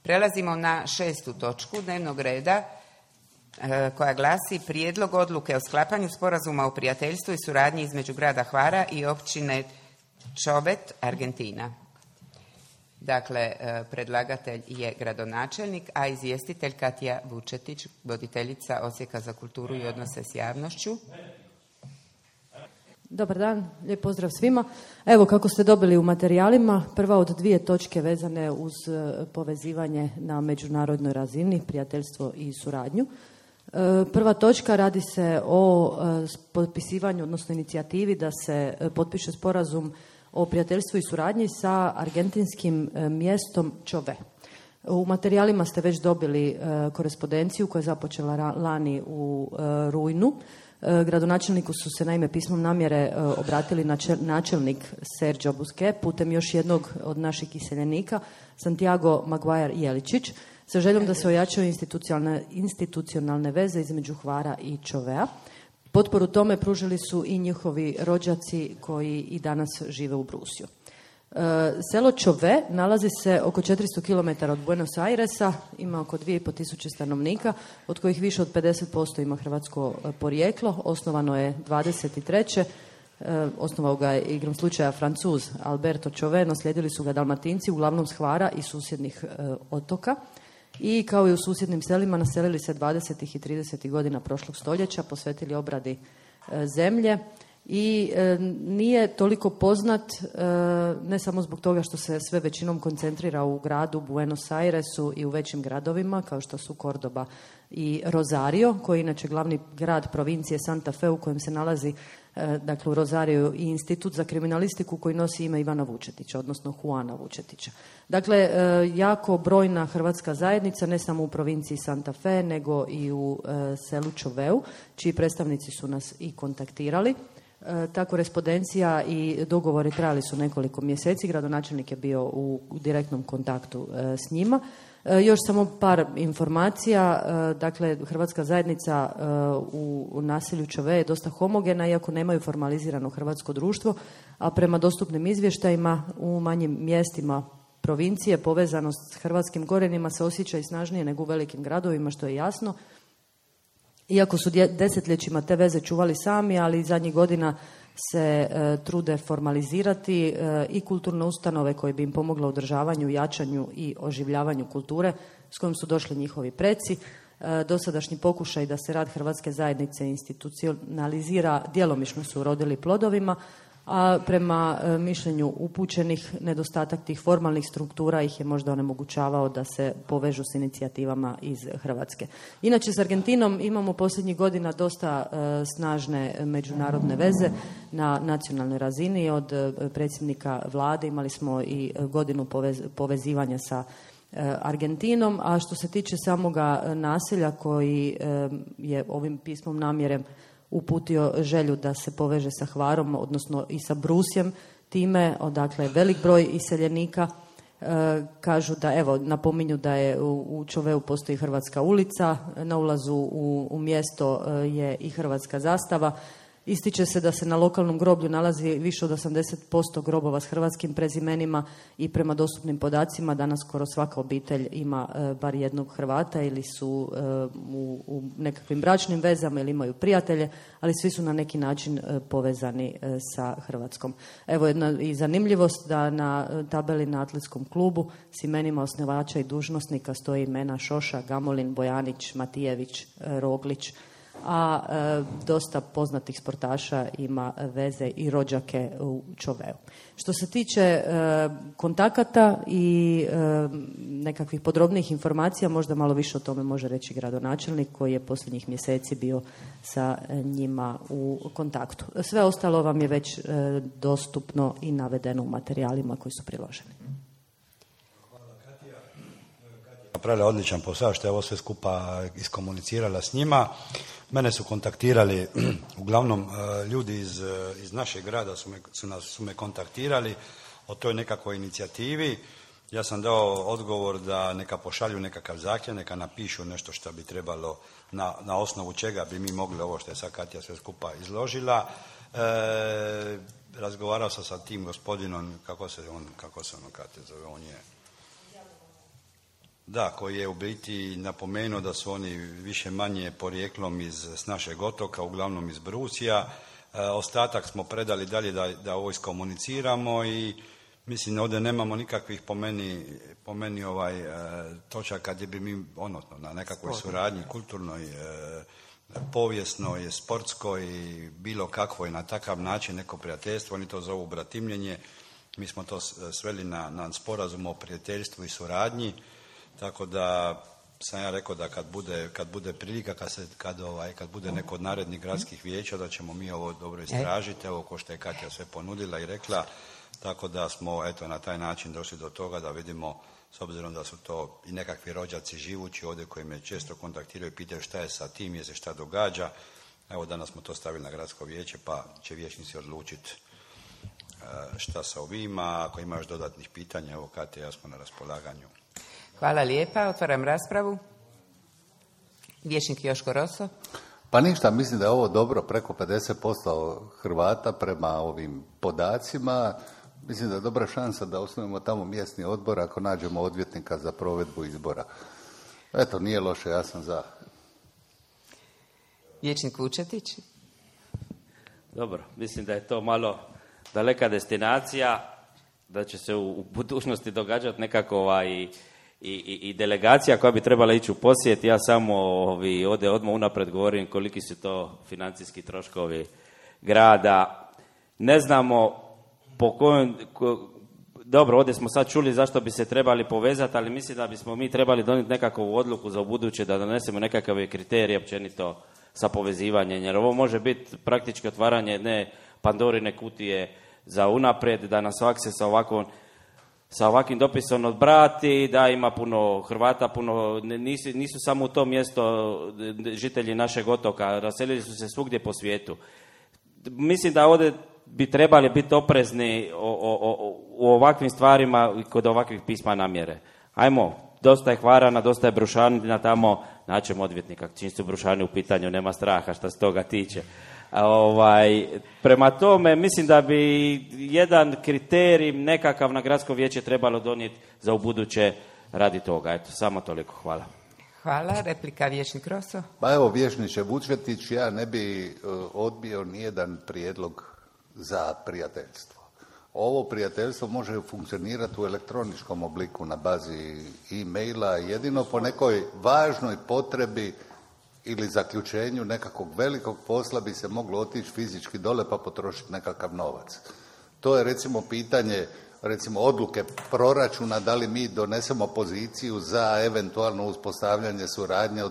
Prelazimo na 6. točku dnevnog reda koja glasi Prijedlog odluke o sklapanju sporazuma o prijateljstvu i suradnji između grada Hvara i općine Čovet, Argentina. Dakle, predlagatelj je gradonačelnik, a izvjestitelj Katja Vučetić, voditeljica Odsjeka za kulturu i odnose s javnošću. Dobar dan, lijep pozdrav svima. Evo, kako ste dobili u materijalima, prva od 2 točke vezane uz povezivanje na međunarodnoj razini, prijateljstvo i suradnju. Prva točka radi se o potpisivanju, odnosno inicijativi da se potpiše sporazum o prijateljstvu i suradnji sa argentinskim mjestom Čove. U materijalima ste već dobili korespondenciju koja je započela lani u rujnu. Gradonačelniku su se naime pismom namjere obratili načelnik Sergio Busquet putem još jednog od naših iseljenika, Santiago Maguire Jeličić, sa željom da se ojačaju institucionalne veze između Hvara i Čovea. Potporu tome pružili su i njihovi rođaci koji i danas žive u Brusiju. Selo Čove nalazi se oko 400 km od Buenos Airesa, ima oko 2500 stanovnika, od kojih više od 50% ima hrvatsko porijeklo. Osnovano je 23. Osnovao ga je igrom slučaja Francuz Alberto Čove, no slijedili su ga Dalmatinci, uglavnom s Hvara i susjednih otoka. I kao i u susjednim selima naselili se 20. i 30. godina prošlog stoljeća, posvetili obradi zemlje i nije toliko poznat ne samo zbog toga što se sve većinom koncentrira u gradu Buenos Airesu i u većim gradovima kao što su Cordoba i Rosario, koji je inače glavni grad provincije Santa Fe u kojem se nalazi dakle u Rosariju i institut za kriminalistiku koji nosi ime Ivana Vučetića, odnosno Juana Vučetića. Dakle, jako brojna hrvatska zajednica, ne samo u provinciji Santa Fe, nego i u selu Čoveu, čiji predstavnici su nas i kontaktirali. Ta korespondencija i dogovori trajali su nekoliko mjeseci, gradonačelnik je bio u direktnom kontaktu s njima. Još samo par informacija, dakle hrvatska zajednica u naselju Čove je dosta homogena, iako nemaju formalizirano hrvatsko društvo, a prema dostupnim izvještajima u manjim mjestima provincije povezanost s hrvatskim korijenima se osjeća i snažnije nego u velikim gradovima, što je jasno. Iako su desetljećima te veze čuvali sami, ali zadnjih godina se trude formalizirati i kulturne ustanove koje bi im pomogle u održavanju, jačanju i oživljavanju kulture s kojim su došli njihovi preci. Dosadašnji pokušaj da se rad hrvatske zajednice institucionalizira djelomično su urodili plodovima, a prema mišljenju upućenih nedostatak tih formalnih struktura ih je možda onemogućavao da se povežu s inicijativama iz Hrvatske. Inače, s Argentinom imamo posljednjih godina dosta snažne međunarodne veze na nacionalnoj razini. Od predsjednika vlade imali smo i godinu povezivanja sa Argentinom, a što se tiče samoga naselja koji je ovim pismom namjere uputio želju da se poveže sa Hvarom, odnosno i sa Brusjem, time, odakle velik broj iseljenika, kažu da, evo, napominju da je u Čoveu postoji hrvatska ulica, na ulazu u mjesto je i hrvatska zastava. Ističe se da se na lokalnom groblju nalazi više od 80% grobova s hrvatskim prezimenima i prema dostupnim podacima danas skoro svaka obitelj ima bar jednog Hrvata ili su u nekakvim bračnim vezama ili imaju prijatelje, ali svi su na neki način povezani sa Hrvatskom. Evo jedna i zanimljivost da na tabeli na atletskom klubu s imenima osnivača i dužnosnika stoji imena Šoša, Gamolin, Bojanić, Matijević, Roglić, a dosta poznatih sportaša ima veze i rođake u Čoveu. Što se tiče kontakata i nekakvih podrobnijih informacija, možda malo više o tome može reći gradonačelnik koji je posljednjih mjeseci bio sa njima u kontaktu. Sve ostalo vam je već dostupno i navedeno u materijalima koji su priloženi. Napravila odličan posao što je ovo sve skupa iskomunicirala s njima. Mene su kontaktirali, uglavnom ljudi iz našeg grada su me kontaktirali o toj nekakvoj inicijativi. Ja sam dao odgovor da neka pošalju nekakav zahtjev, neka napišu nešto što bi trebalo, na osnovu čega bi mi mogli ovo što je sad Katja sve skupa izložila. Razgovarao sam sa tim gospodinom, kako se ono Katja zove, on je Da, koji je u biti napomenuo da su oni više manje porijeklom s našeg otoka, uglavnom iz Brusija. Ostatak smo predali dalje da ovo iskomuniciramo i mislim ovdje nemamo nikakvih po meni točaka gdje bi mi na nekakvoj suradnji kulturnoj, povijesnoj, sportskoj, bilo kakvoj na takav način neko prijateljstvo, oni to zovu bratimljenje. Mi smo to sveli na sporazum o prijateljstvu i suradnji, tako da sam ja rekao da kad bude prilika, kad bude neko od narednih gradskih vijeća, da ćemo mi ovo dobro istražiti, evo ko što je Katja sve ponudila i rekla, tako da smo na taj način došli do toga da vidimo, s obzirom da su to i nekakvi rođaci živući ovdje koji me često kontaktiraju i pitaju šta je sa tim, je se šta događa. Evo danas smo to stavili na gradsko vijeće pa će vijećnici odlučiti šta sa ovima. Ako ima još dodatnih pitanja, evo Katja, ja smo na raspolaganju. Hvala lijepa. Otvaram raspravu. Vijećnik Joško Roso. Pa ništa, mislim da je ovo dobro, preko 50% Hrvata prema ovim podacima. Mislim da je dobra šansa da osnujemo tamo mjesni odbor ako nađemo odvjetnika za provedbu izbora. Eto, nije loše, ja sam za. Vijećnik Vučetić. Dobro, mislim da je to malo daleka destinacija, da će se u budućnosti događati nekako i delegacija koja bi trebala ići u posjet. Ja samo ovdje odmah unaprijed govorim koliki su to financijski troškovi grada. Ne znamo po kojem... Dobro, ovdje smo sad čuli zašto bi se trebali povezati, ali mislim da bismo mi trebali donijeti nekakvu odluku za ubuduće, da donesemo nekakve kriterije općenito sa povezivanjem, jer ovo može biti praktički otvaranje jedne Pandorine kutije za unaprijed, da nas svak se sa ovakvim dopisom odbrati, da ima puno Hrvata, nisu samo u to mjesto žitelji našeg otoka, raselili su se svugdje po svijetu. Mislim da ovdje bi trebali biti oprezni u ovakvim stvarima i kod ovakvih pisma namjere. Ajmo, dosta je Hvarana, dosta je Brušanina tamo, naćemo odvjetnika, čim su Brušani u pitanju, nema straha što se toga tiče. Prema tome, mislim da bi jedan kriterij nekakav na gradsko vijeće trebalo donijeti za ubuduće radi toga. Eto, samo toliko. Hvala. Hvala. Replika vijećnik Roso. Pa evo, vijećniče Vučetić, ja ne bi odbio nijedan prijedlog za prijateljstvo. Ovo prijateljstvo može funkcionirati u elektroničkom obliku na bazi e-maila, jedino po nekoj važnoj potrebi ili zaključenju nekakvog velikog posla bi se moglo otići fizički dole pa potrošiti nekakav novac. To je recimo pitanje odluke proračuna, da li mi donesemo poziciju za eventualno uspostavljanje suradnje,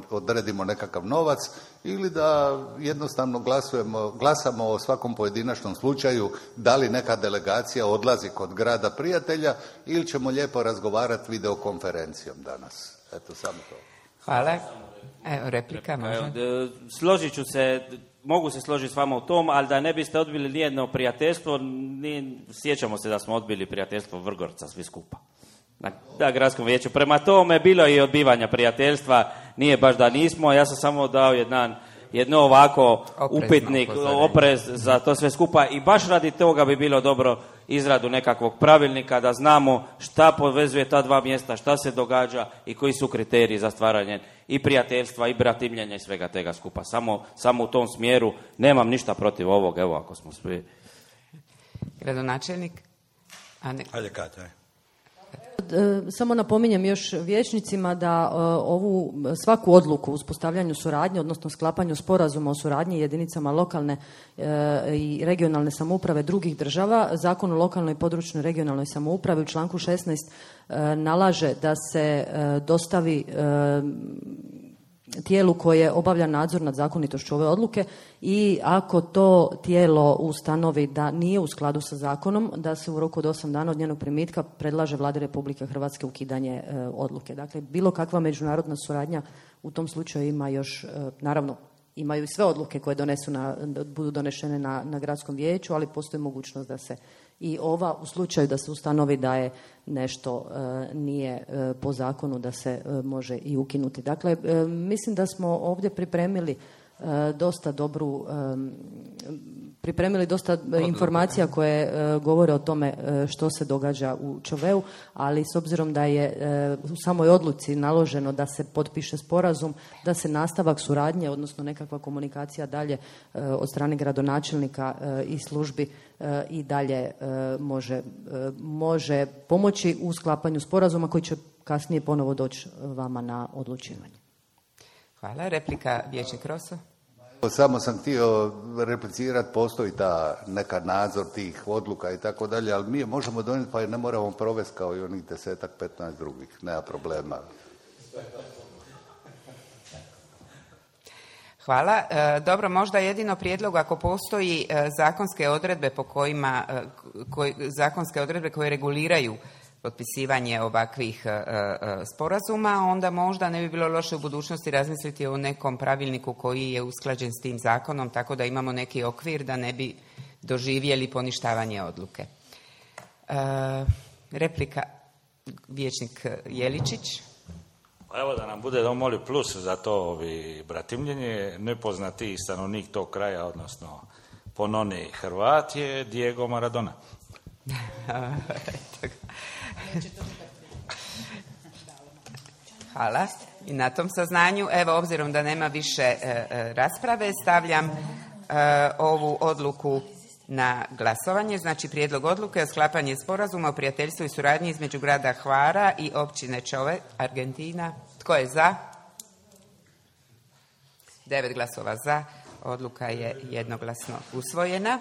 odredimo nekakav novac ili da jednostavno glasamo o svakom pojedinačnom slučaju, da li neka delegacija odlazi kod grada prijatelja ili ćemo lijepo razgovarati videokonferencijom danas. Eto, samo to. Hvala. Evo, replika može. Složit ću se, mogu se složiti s vama u tom, ali da ne biste odbili nijedno prijateljstvo, sjećamo se da smo odbili prijateljstvo Vrgorca svi skupa. Na gradskom vijeću. Prema tome, bilo je i odbivanja prijateljstva, nije baš da nismo, ja sam samo dao jedno ovako upitnik, oprez za to sve skupa i baš radi toga bi bilo dobro izradu nekakvog pravilnika da znamo šta povezuje ta dva mjesta, šta se događa i koji su kriteriji za stvaranje i prijateljstva i bratimljenja i svega tega skupa. Samo u tom smjeru nemam ništa protiv ovog, evo ako smo svi. Gradonačelnik? Ajde, Katja. Samo napominjem još vijećnicima da svaku odluku o uspostavljanju suradnje, odnosno sklapanju sporazuma o suradnji jedinicama lokalne i regionalne samouprave drugih država, Zakon o lokalnoj i područnoj regionalnoj samoupravi u članku 16 nalaže da se dostavi tijelu koje obavlja nadzor nad zakonitošću ove odluke i ako to tijelo ustanovi da nije u skladu sa zakonom, da se u roku od 8 dana od njenog primitka predlaže Vladi Republike Hrvatske ukidanje odluke. Dakle, bilo kakva međunarodna suradnja u tom slučaju ima još, naravno, imaju i sve odluke koje budu donešene na gradskom vijeću, ali postoji mogućnost da se i ova, u slučaju da se ustanovi da je nešto nije po zakonu, da se može i ukinuti. Dakle, mislim da smo ovdje pripremili dosta dobru pripremili dosta informacija koje govore o tome što se događa u Čoveu, ali s obzirom da je u samoj odluci naloženo da se potpiše sporazum, da se nastavak suradnje, odnosno nekakva komunikacija dalje od strane gradonačelnika i službi i dalje može pomoći u sklapanju sporazuma koji će kasnije ponovo doći vama na odlučivanje. Hvala. Replika, vijećnik Roso. Samo sam htio replicirati, postoji ta neka nadzor tih odluka i tako dalje, ali mi je možemo donijeti pa je ne moramo provesti kao i onih 10-15 drugih, nema problema. Hvala. Dobro, možda jedino prijedlog ako postoji zakonske odredbe po kojima, zakonske odredbe koje reguliraju potpisivanje ovakvih sporazuma, onda možda ne bi bilo loše u budućnosti razmisliti o nekom pravilniku koji je usklađen s tim zakonom, tako da imamo neki okvir da ne bi doživjeli poništavanje odluke. Replika, vijećnik Jeličić. Pa evo da nam bude domoli plus za to bratimljenje, nepoznati stanovnik tog kraja, odnosno pononi Hrvat je Diego Maradona. Hvala. I na tom saznanju, evo, obzirom da nema više rasprave, stavljam ovu odluku na glasovanje. Znači, prijedlog odluke o sklapanju sporazuma o prijateljstvu i suradnji između grada Hvara i općine Čove, Argentina. Tko je za? 9 glasova za. Odluka je jednoglasno usvojena.